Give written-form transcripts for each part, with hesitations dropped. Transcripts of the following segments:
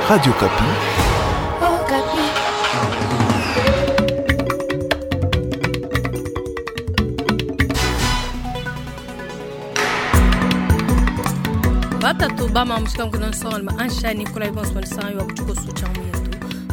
Radio Okapi. Batatu bama mushikangu nsonga ansha Nicolas Ibons Bonsan wa kuchuko sucha mwetu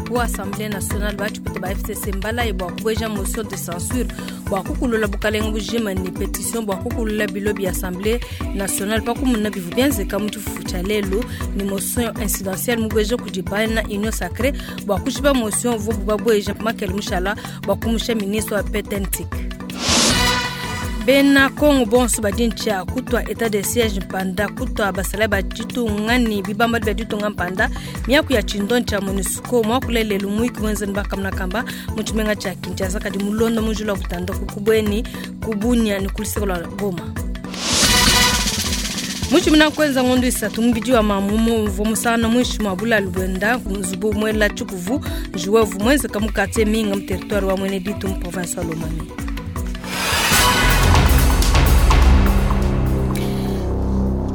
ku Assemblée nationale bachipete ba FCC mbala bwa kubweja motion de censure bwa kukulula bukalenga bujima ni pétition bwa kukulula bilo bya Assemblée nationale pakumuna bivu byenzeka mu tshifufu tshia lelu ni motion incidentielle mubweja kudi bana union sacrée bwa kushiba motion vobu babweja makele mushala bwa kumusha ministre wa PTNTIC. Bena kongo bonso badi ntshia kutwa état de siège mpanda kutwa basala ba ditunga ni bibamba bia ditunga mpanda miaku ya tshindo tshia MONUSCO mwakula lelu muiki mwenzeni bakamuna kamba mu tshimenga tshia Kinshasa kadi mulondo mujula butanda kubweni kubunya ni kuliseko lwa Goma. Muchimina kwenza ngondo isatu mubidi wa mamumu mvo musana mwishi mwa bulalu bwenda nzubu mwela tshikuvu njuwevu mwenze kamukate minga mu territoire wa mwene ditu mu province wa Lomami.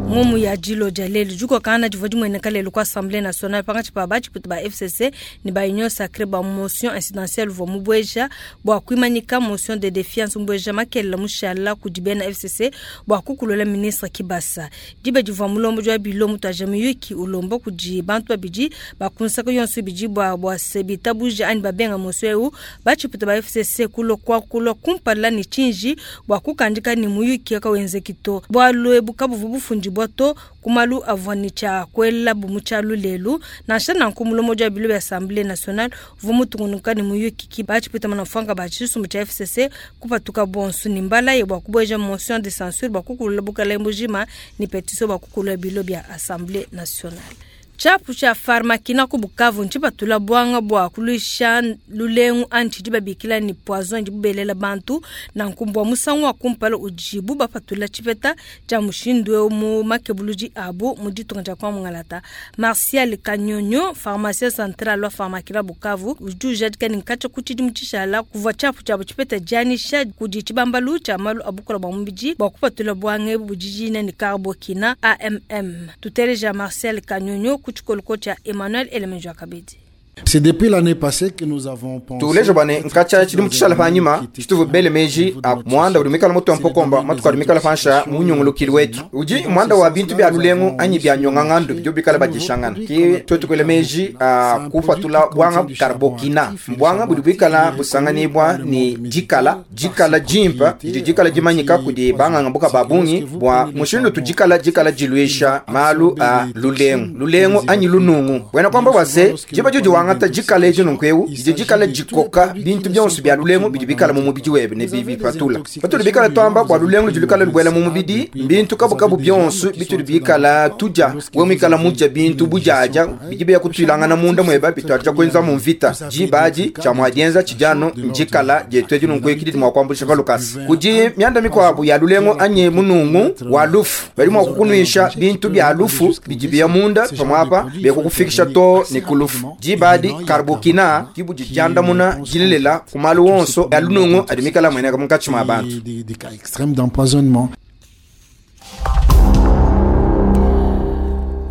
Ngomu ya jilo jalelu juko kana jivo jimwene kalelu kwa Assemblée nationale panga chipa ba chiputu ba FCC ni ba union sacrée ba motion incidentielle vo mubweja bwa kuimanyika motion de défiance mubweja makela mushala kudibena FCC bwa kukulola ministre Kibasa dibe jivo mulombo jwa bilo mutu ajamiyuki ulombo kudi bantu babidi ba kunsaka yonso bidi bwa bwa sebita buje ani babenga motion eu ba chiputu ba FCC kulo kwa kulo kumpala ni chinji bwa kukandika ni muyuki ka wenzekito bwa lwebu kabuvu bufundi bwa to kumalu avwani cha kwela bumucha lulelu na shana nkumulomo jwa bilo bya Assemblée nationale vumutungunuka ni muyuki ki bachipita manafanga bachisu cha FCC kupatuka bonsu ni mbala ye bwa kubweja motion de censure bwa kukulula bukala mbujima ni pétition bwa kukulula bilo bya Assemblée nationale. Chapu cha Pharmakina ku Bukavu nchipatula bwanga bwa kulisha lulengu anchi dibabikila ni poison dibubelela bantu na nkumbwa musangu wa kumpala ujibu bapatula chipeta cha mushindu mu makebuluji abu mu ditunga tshia kwa mungalata. Martial Kanyonyo, pharmacien central wa Pharmakina Bukavu, ujuja dikani nkacha kuchidi muchishala kuva chapu cha chipeta janisha kudi chibambalu cha malu abukula bwa mubiji bwa kupatula bwange bujijina ni Carbokina AMM. Tuteleja Martial Kanyonyo kuchikoloko cha Emmanuel Elemenjo Akabedi. C'est depuis l'année passée que nous avons pensé. Tulejo bane nkacha chidi muchishala panyima chituvu bele meji a mwanda uli mikala moto mpokomba matuka uli mikala fansha munyungulukili wetu uji mwanda wa bintu bya lulengu anyi bya nyonga ngandu byo bikala bajishangana ki twetu kwele meji a kufatula bwanga karbokina mbwanga buli bikala busanganibwa ni jikala jikala jimpa jidi jikala jimanyika kudi banga ngambuka babungi bwa mushindu tujikala jikala jilwisha malu a lulengu lulengu anyi lunungu wena kwamba wase jiba juju wanga ta jikala ejo nonkweu jije jikala jikoka bintu byonso bya lulengu bidi bikala mu mubidi webe ne bibi patula patula bikala twamba bwa lulengu julikala lubwela mu mubidi bintu kabu kabu byonso bitu bikala tuja we mwikala muja bintu bujaja bidi bya kutwilangana munda mweba bitwaja kwenza mu mvita jibaji cha mwajenza chijano njikala jetu ejo nonkweu kidi mwa kwambulisha palukasi kuji myanda mikwabu ya lulengu anye munungu wa lufu bali mwa kukunwisha bintu bya lufu bidi bya munda pamwapa bekukufikisha to ni kulufu jibadi karbokina kibu jijanda muna jilelela kumalu wonso ya lunungu adimikala mweneka munkatshi mwa bantu. Des cas extrêmes d'empoisonnement.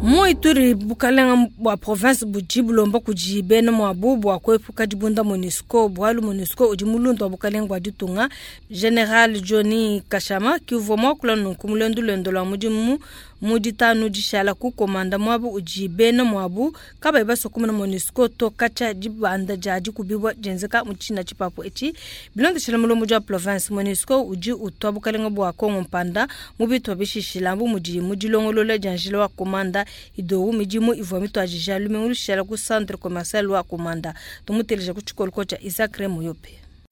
Mu Ituri bukalenga bwa province budi bulomba kudi bena mwabu bwa kwepuka dibunda MONUSCO bwalu MONUSCO udi mulundu wa bukalenga bwa ditunga General Johnny Kashama kiuvua mwakula nunku mulendu lwendo lwa mudimu mu ditanu dishala ku komanda mwabu udi bena mwabu kabayi basokumuna MONUSCO to katsha dibanda dia dikubibwa dienzeka mu tshina tshipapu etshi bilondeshela mulombo dia province MONUSCO udi utwa bukalenga bwa Kongo mpanda mu bitwa bishishila mbu mudi mu dilongolola dia njila wa komanda idowu midimu ivua mitwajija lumengu lushala ku centre commercial wa komanda tumuteleja ku tshikoloko tsha Isaac Remoyope.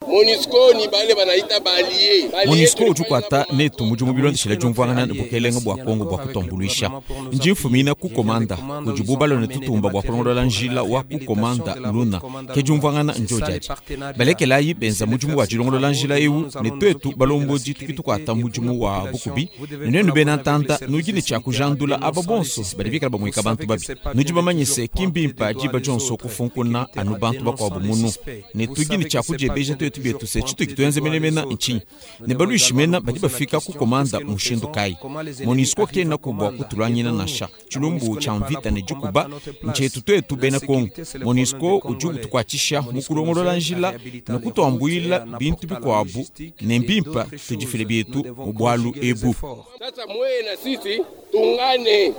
MONUSCO ni bale banaita balie. MONUSCO ujukwata netu mudimu bilondeshela diumvuangana ne bukelenga bwa Kongo bwa kutombuluisha nji mfumina ku komanda kudibu balone tutumba bwa kulongolola njila wa ku komanda luna ke diumvuangana njojaji balekelayi benza mudimu wa dilongolola njila ewu ne twetu balombodi tuki tukwata mudimu wa bukubi ne nenu bena ntanta nudi ne tshia kujandula aba bonso badi bikala bamuika bantu babi nudi bamanyise kimbimpa diba dionso kufunkuna anu bantu bakuabu munu ne tudi ne tshia kudiebeja twetu bietu bietu se tshitudi tuenza menemene ntshinyi ne baluishi mena badi bafika ku komanda mushindu kayi. MONUSCO kenaku bua kutuluangina nansha. Tshilumbu tshia mvita ne dikuba ntshietu tuetu bena Kongo. MONUSCO udi utukuatshisha mu kulongolola njila ne kutuambuila bintu bikuabu, ne mbimpe tudifile bietu mu bualu ebu. Sasa mweye na sisi tungane.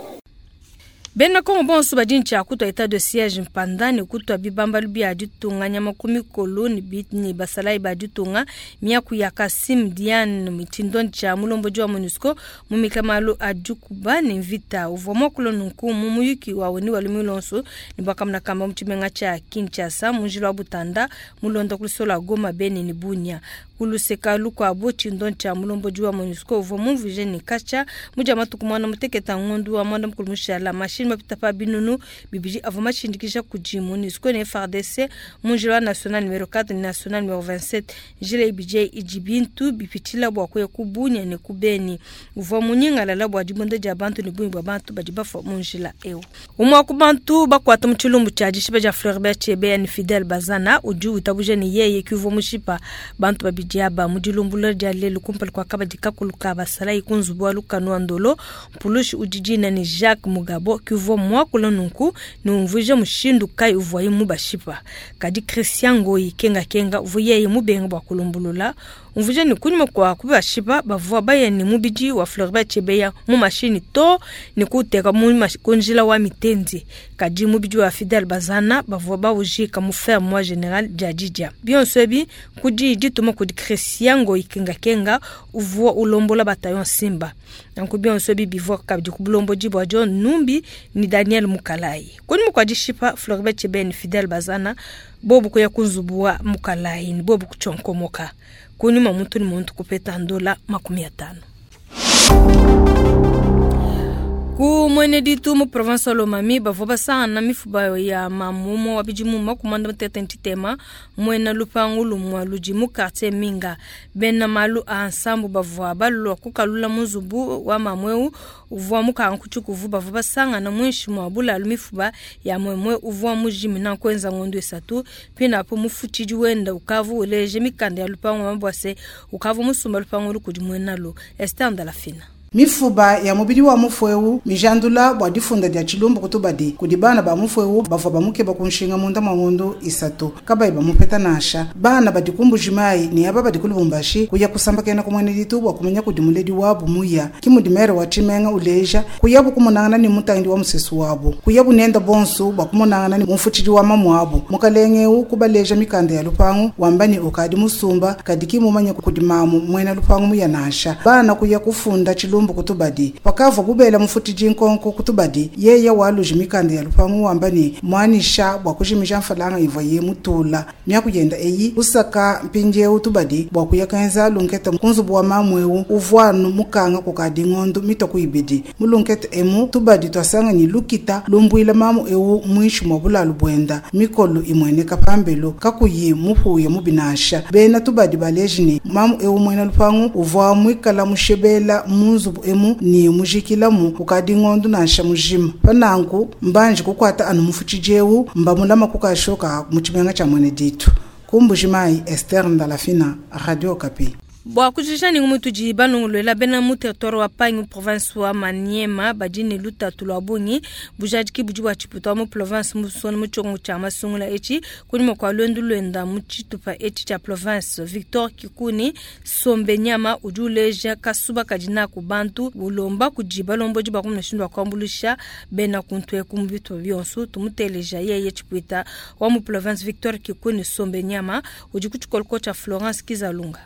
Bena Kongo bonso badi ne tshia kutua etat de siège mpanda ne kutua bibambalu bia ditunga nyama ku mikolo ne basalayi ba ditunga. Miaku ya Kassim Diane, tshindondi tshia mulombodi wa MONUSCO mu mika malu a dikuba ne mvita, uvua muakula nunku mu muyuki wa ONU wa lumingu luonso ne bakamona kamba mu tshimenga tshia Kinshasa mu njila wa Butanda mulonda ku luseke lua Goma, Beni ne Bunia. Ku luseka lukuabu, tshindondi tshia mulombodi wa MONUSCO uvua mumvuije ne katshia mu dia matuku muanda mutekete a ngondu wa muanda mukulu mushala, mashini mapita pa binunu bibidi avua mashindikija kudi MONUSCO ne FARDC mu njila wa national numero 4 ne national numero 27. Njila ibidi eyi idi bintu bipitshila bua kuya ku Bunia ne ku Beni. Uvua munyingalala bua dibunda dia bantu ne bungi bua bantu badi bafua mu njila eu. Umue wa ku bantu bakuata mu tshilumbu tshia dishipa dia Floribert Chebeya ne Fidel Bazana udi witabuja ne yeye ke uvua mushipa bantu babidi aba mu dilumbulula dia lelu kumpala kua kabadi kakulu ka basalayi ku nzubu wa lukanu wa Ndolo. Mpulushi udi dina ne Jacques Mugabo ke uvua muakula nunku ne umvuija mushindu kayi uvuaye mubashipa. Kadi Christian Ngoyi Kenga Kenga uvua yeye mubenga bua kulumbulula, umvuija ne kunyima kua kubashipa bavua baya ne mubidi wa Floribert Chebeya mu mashini to ne kuuteka ku njila wa Mitendi. Kadi mubidi wa Fidel Bazana bavua bawujika mu ferme wa General Djadidja. Bionso ebi kudi dituma kudi Christian Ngoyi Kenga Kenga uvua ulombola bataillon Simba. Nanku bionso ebi bivua kabidi ku bulombodi bua John Numbi ne Daniel Mukalayi. Kunyima kua dishipa Floribert Chebeya ne Fidel Bazana, bobu kuya ku nzubu wa Mukalayi ne bobu kutshionkomoka. Kunyima muntu ne muntu kupeta ndola 50. Ku Mwene Ditu mu province wa Lomami bavua basangana mifuba ya mamu umue wa bidimu 53 muena lupangu lumue ludi mu quartier Minga. Bena malu a nsambu bavua balua kukalula mu nzubu wa mamu eu uvua mukanga ku tshikuvu, bavua basangana muinshi mua bulalu mifuba ya muemue uvua mujimina kuenza ngondo 3. Pinapo mufutshidi wenda ukavu uleje mikanda ya lupangu wa mabwase ukavu musumba lupangu lukudi muenalo. Esther Ndalafina. Mifuba ya mubidi wa mufu eu mijandula bua difunda dia tshilumbu kutubadi kudi bana ba mufu eu bavua bamukeba ku nshinga munda mwa ngondo 3 kabayi bamupeta nansha. Bana badi ku Mbujimayi ne aba badi ku Lubumbashi kuya kusambakena ku Mwene Ditu bua kumanya kudi muledi wabu muya. Ki mudi mere wa tshimenga uleja kuyabu kumonangana ne mutangidi wa musesu wabu, kuyabu nenda bonso bua kumonangana ne mufutshidi wa mamu wabu. Mukalenge eu kubaleja mikanda ya lupangu wamba ne ukadi musumba kadi ki mumanye kudi mamu muena lupangu muya nansha. Bana kuya kufunda tshilumbu kutubadi pakavua bubela mufutidi nkonko kutubadi yeye waluji mikanda ya lupangu wamba ne mwanisha bua kujimija mfalanga ivua ye mutula miaku yenda eyi usaka mpindieu tubadi bua kuya kenza lunkete ku nzubu wa mamu eu uvuanu mukanga kukadi ngondo mitoku ibidi mu lunkete emu tubadi twasanga ni lukita lumbuila mamu eu muinshi mwa bulalu bwenda mikolo imweneka pambelo kakuyi mupuya mubinasha. Bena tubadi baleji ne mamu eu muena lupangu uvua muikala mushebela mu nzubu emu ni mujikilamu kukadi ngondo nansha mujima. Pananku mbanji kukwata anu mufutshidi eu mbamulama kukashoka mu tshimenga tshia Mwene Ditu. Ku Mbujimayi, Esther Ndalafina, Radio Okapi. Bua kujija ni ngumu tudi balongolola bena mu territoire wa Pangi province wa Maniema badi ne lutatu lua bungi bujadiki budi bua tshiputa mu province musona mu tshiongo tshia masungula etshi kunyima kua luendu luenda mu tshitupa etshi tshia province. Victor Kikuni Sombe Nyama udi uleja kasuba kadi naku bantu ulomba kudi balombodi ba kumuna wa kuambulisha bena kuntu eku mu bitupa bionso. Tumuteleja yeye tshipuita wa mu province Victor Kikuni Sombe Nyama udi ku tshikoloko tshia Florence Kizalunga.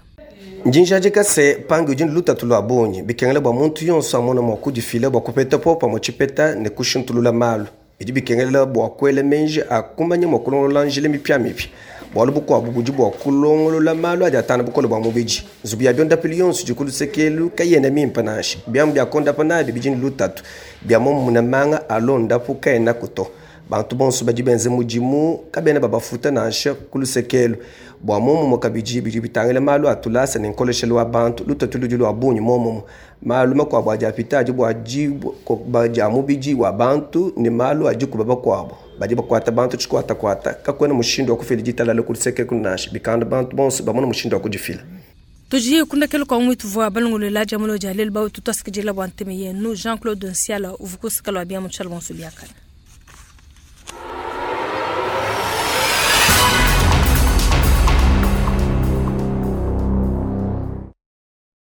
Njinjadika se pangi udi lutatu lua bungi bikengela bua muntu yonso amona mua kudifila bua kupeta popa mu tshipeta ne kushintulula malu. Bidi bikengela bua kuela menji a kumanya mua kulongolola njila mipiamipia. Bualu bukuabu budi bua kulongolola malu adi atana bukole bua mubidi. Nzubu ya biondapilu yonso idi ku lusekelu kayena mimpe nansha. Biamu bia kondapa nabi bidi ne lutatu. Bia momuna manga alondapu kaena kuto. Bantu bonso badi benze mudimu kabena babafuta nansha ku lusekelu. Bua momumue kabidi bidi bitangila malu a tulasa ne nkoleshelu wa bantu, lutatu ludi lua bungi momumue. Malu makuabu adi apita adi bua dikuba dia mubidi wa bantu ne malu a dikuba bakuabu. Badi bakuata bantu tshikuatakuata, kakuena mushindu wa kufila ditalala ku luseke nansha. Bikanda bantu bonso bamona mushindu wa kudifila. Tudi kundekelo kwa mwitu vwa balongolola dia mulo dia lelu bautu twasikidila bua nteme yenu Jean-Claude Nsiala uvukusika lwa bia mutshalo bonso biakana.